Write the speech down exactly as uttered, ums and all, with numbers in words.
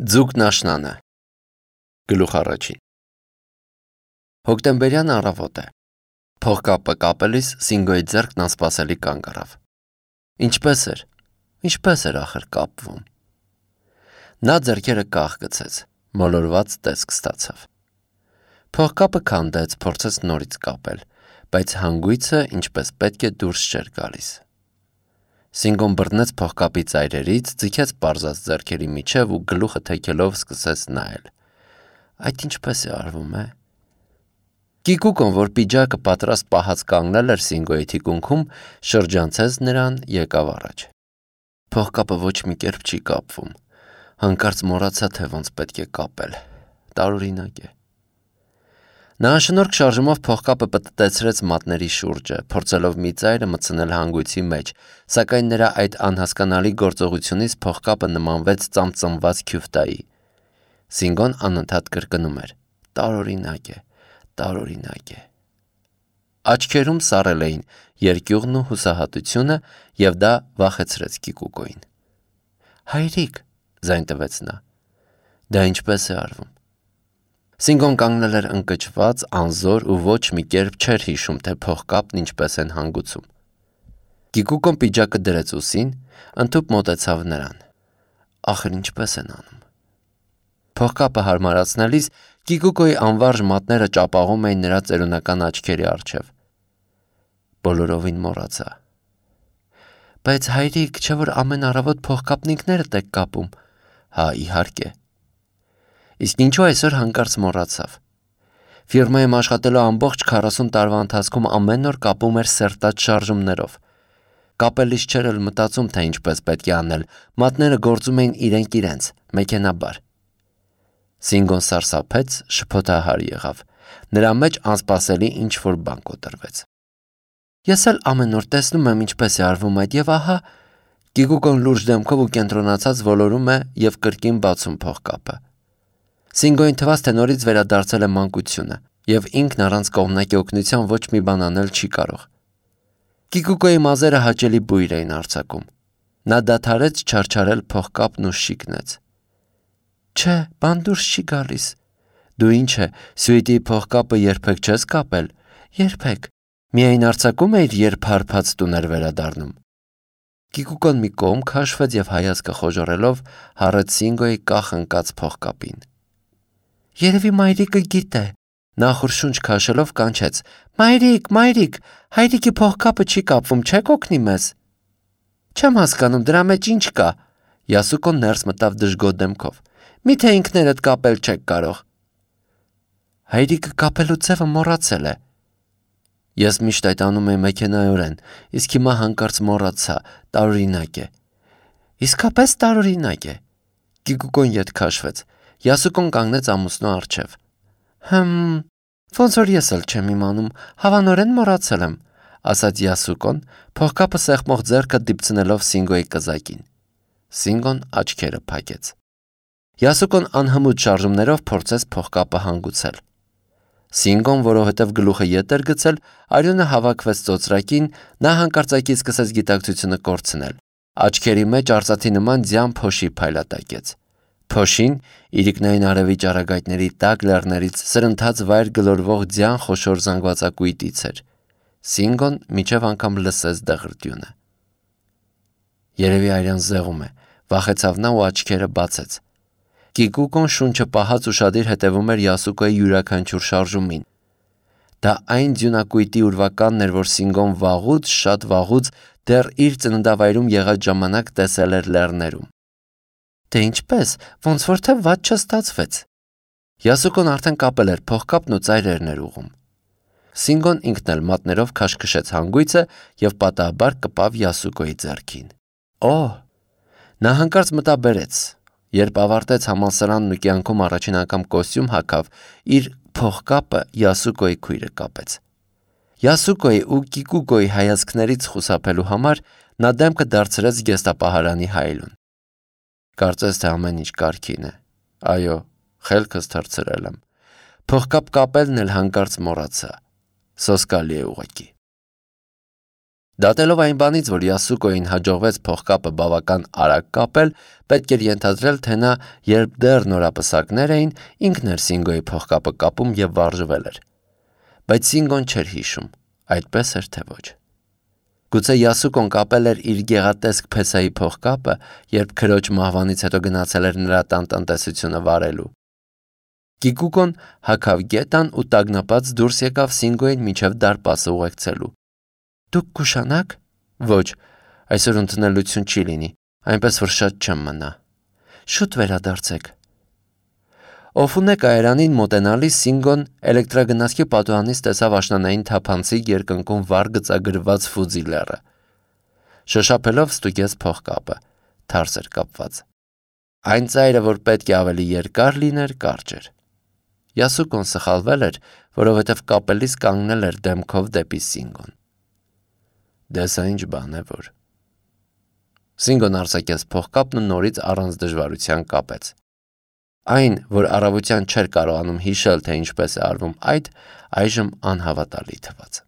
Ձուկն աշնանը Գլուխ առաջին Հոկտեմբերյան առավոտ է Փողկապը կապելիս Սինգոյի ձեռքն անսպասելի կանգ առավ Ինչպես էր, ինչպես էր ախր կապվում Նա ձեռքերը կախ գցեց, մոլորված տեսք ստացավ Փողկապը քանդեց, փորձեց նորից կապել, բայց հանգույցը ինչպես պետք է դուրս չէր գալիս Սինգոն բռնեց փողկապի ծայրերից, ձգեց պարզած ձեռքերի միջև ու գլուխը թեքելով սկսեց նայել Այդ ինչպես է արվում, է Կիկուկոն, որ պիջակը պատրաստ պահած կանգնել էր Սինգոյի թիկունքում, շրջանցեց նրան, եկավ առաջ Փողկապը ոչ մի կերպ չի կապվում Հանկարծ մոռացա, թե ոնց պետք է կապել Տարօրինակ է Նա անշնորհք շարժումով փողկապը պտտեցրեց մատների շուրջը, փորձելով մի ծայրը մտցնել հանգույցի մեջ, սակայն նրա այդ անհասկանալի գործողությունից փողկապը նմանվեց ծամծմված քյուֆտայի։ Սինգոն անընդհատ կրկնում էր. Տարօրինակ է, տարօրինակ է։ Աչքերում սառել էին երկյուղն ու հուսահատությունը, եւ դա վախեցրեց Կիկուկոին։ Հայրիկ, ձայն տվեց նա։ Դա ինչպես է արվում։ Սինգոն կանգնել էր ընկճված, անզոր ու ոչ մի կերպ չէր հիշում, թե փողկապն ինչպես են հանգուցում։ Կիկուկոն պիջակը դրեց ուսին, ընդհուպ մոտեցավ նրան։ Ախր ինչպես են անում։ Փողկապը հարմարացնելիս Կիկուկոյի անվարժ մատները ճապաղում էին նրա ծերունական աչքերի առջև։ Բոլորովին մոռացա։ Բայց հայրիկ, չէ՞ որ ամեն առավոտ փողկապն ինքներդ եք կապում։ Հա, իհարկե։ Իսկ ինչու այսօր հանկարծ մոռացավ։ Ֆիրմայում աշխատելու ամբողջ քառասուն տարվա ընթացքում ամեն օր կապում էր սերտած շարժումներով։ Կապելիս չէր էլ մտածում, թե ինչպես պետք է անել, մատները գործում էին իրենք իրենց, մեքենաբար։ Սինգոն սարսափեց, շփոթահար եղավ։ Նրա մեջ անսպասելի ինչ-որ բան կոտրվեց։ Ես էլ ամեն օր տեսնում եմ ինչպես է արվում այդ եւ ահա Կիկուկոն լուրջ դեմքով ու կենտրոնացած ոլորում է եւ կրկին բացում փողկապը։ Սինգոյին թվաց, թե նորից վերադարձել է մանկությունը, եւ ինքն առանց կողմնակի օգնության ոչ մի բան անել չի կարող։ Կիկուկոյի մազերը հաճելի բույր էին արձակում։ Նա դադարեց չարչարել փողկապն ու շիկնեց։ Չէ, բան դուրս չի գալիս։ Դու ինչ է, սյուիտի փողկապը երբեք չես կապել։ Երբեք։ Միայն արձակում էիր, երբ հարբած տուն էր վերադառնում։ Կիկուկոն մի կողմ քաշվեց եւ հայացքը խոժոռելով հառեց Սինգոյի կախ ընկած փողկապին։ Երևի մայրիկը գիտե։ Նախուր շունչ քաշելով կանչեց. Մայրիկ, մայրիկ, հայրիկի փողկապը չի կապվում, չեք օգնի մեզ։ Չեմ հասկանում, դրա մեջ ինչ կա։ Յասուկոն ներս մտավ դժգոհ դեմքով։ Միթե ինքներդ կապել չեք կարող։ Հայրիկը կապելու ձևը մոռացել է։ Ես միշտ այդ անում եմ մեքենայորեն, իսկ հիմա հանկարծ մոռացա, տարօրինակ է։ Իսկապես տարօրինակ է։ Կիկուկոն ետ քաշվեց։ Յասուկոն կանգնեց ամուսնու առջև։ Հմ, ոնց որ ես էլ չեմ իմանում, հավանորեն մոռացել եմ, ասաց Յասուկոն, փողկապը սեղմող ձեռքը դիպցնելով Սինգոյի կզակին։ Սինգոն աչքերը փակեց։ Յասուկոն անհմուտ շարժումներով փորձեց փողկապը հանգուցել։ Սինգոն, որովհետև գլուխը ետ էր գցել, արյունը հավաքվեց ծոծրակին, նա հանկարծակի սկսեց գիտակցությունը կորցնել։ Աչքերի մեջ արծաթի նման ձյան փոշի փայլատակեց։ Փոշին, իրիկնային արևի ճառագայթների տակ լեռներից սրընթաց վայր գլորվող ձյան խոշոր զանգվածակույտից էր։ Սինգոն մինչև անգամ լսեց դղրդյունը։ Երևի արյան զեղում է, վախեցավ նա ու աչքերը բացեց։ Կիկուկոն շունչը պահած ուշադիր հետևում էր Յասուկոյի յուրաքանչյուր շարժումին։ Դա այն ձյունակույտի ուրվականն էր, որ Սինգոն վաղուց, շատ վաղուց դեռ իր ծննդավայրում եղած ժամանակ տեսել էր լեռներում։ Դե ինչպես, ոնց որ թե վատ չստացվեց։ Յասուկոն արդեն կապել էր փողկապն ու ծայրերն էր ուղում։ Սինգոն ինքն էլ մատներով քաշքշեց հանգույցը եւ պատահաբար կպավ Յասուկոյի ձեռքին։ Օհ, նա հանկարծ մտավ բերեց։ Երբ ավարտեց համալսարանն ու կյանքում առաջին անգամ կոստյում հագավ, իր փողկապը Յասուկոյի քույրը կապեց։ Յասուկոյի ու Կիկուկոյի հայացքներից խուսափելու համար նա դեմքը դարձրեց գեստապահարանի հայելուն։ Կարծես թե ամեն ինչ կարգին է։ Այո, խելքս թռցրել եմ։ Փողկապ կապելն էլ հանկարծ մոռացա։ Սոսկալի է ուղղակի։ Դատելով այն բանից, որ Յասուկոյին հաջողվեց փողկապը բավական արագ կապել, պետք էր ենթադրել, թե նա, երբ դեռ նորապսակներ էին, ինքն էր Սինգոյի փողկապը կապում և վարժվել էր։ Բայց Սինգոն չէր հիշում, այդպես էր թե ոչ։ Գուցե Յասուկոն կապել էր իր գեղատեսկ փեսայի փողկապը, երբ քրոջ մահվանից հետո գնացել էր նրա տան տնտեսությունը վարելու։ Կիկուկոն հագավ գետան ու տագնապած դուրս եկավ Սինգոյին մինչև դարպասը ուղեկցելու։ Դուք կուշանա՞ք։ Ոչ, այսօր ընդունելություն չի լինի, այնպես որ շատ չեմ մնա։ Շուտ վերադարձեք։ Օֆունե կայարանին մոտենալիս Սինգոն էլեկտրագնացքի պատուհանից տեսավ աշնանային թափանցիկ երկնքում վառ գծագրված Ֆուձի լեռը։ Շոշափելով ստուգեց փողկապը, թարս էր կապված։ Այն ծայրը, որ պետք է ավելի երկար լիներ, կարճ էր։ Յասուկոն սխալվել էր, որովհետև կապելիս կանգնել էր դեմքով դեպի Սինգոն։ Դե սա ինչ բան է որ։ Սինգոն արձակեց փողկապն ու նորից առանց դժվարության կապեց։ Այն, որ առավոտյան չէր կարողանում հիշել, թե ինչպես է արվում այդ, այժմ անհավատալի թվաց։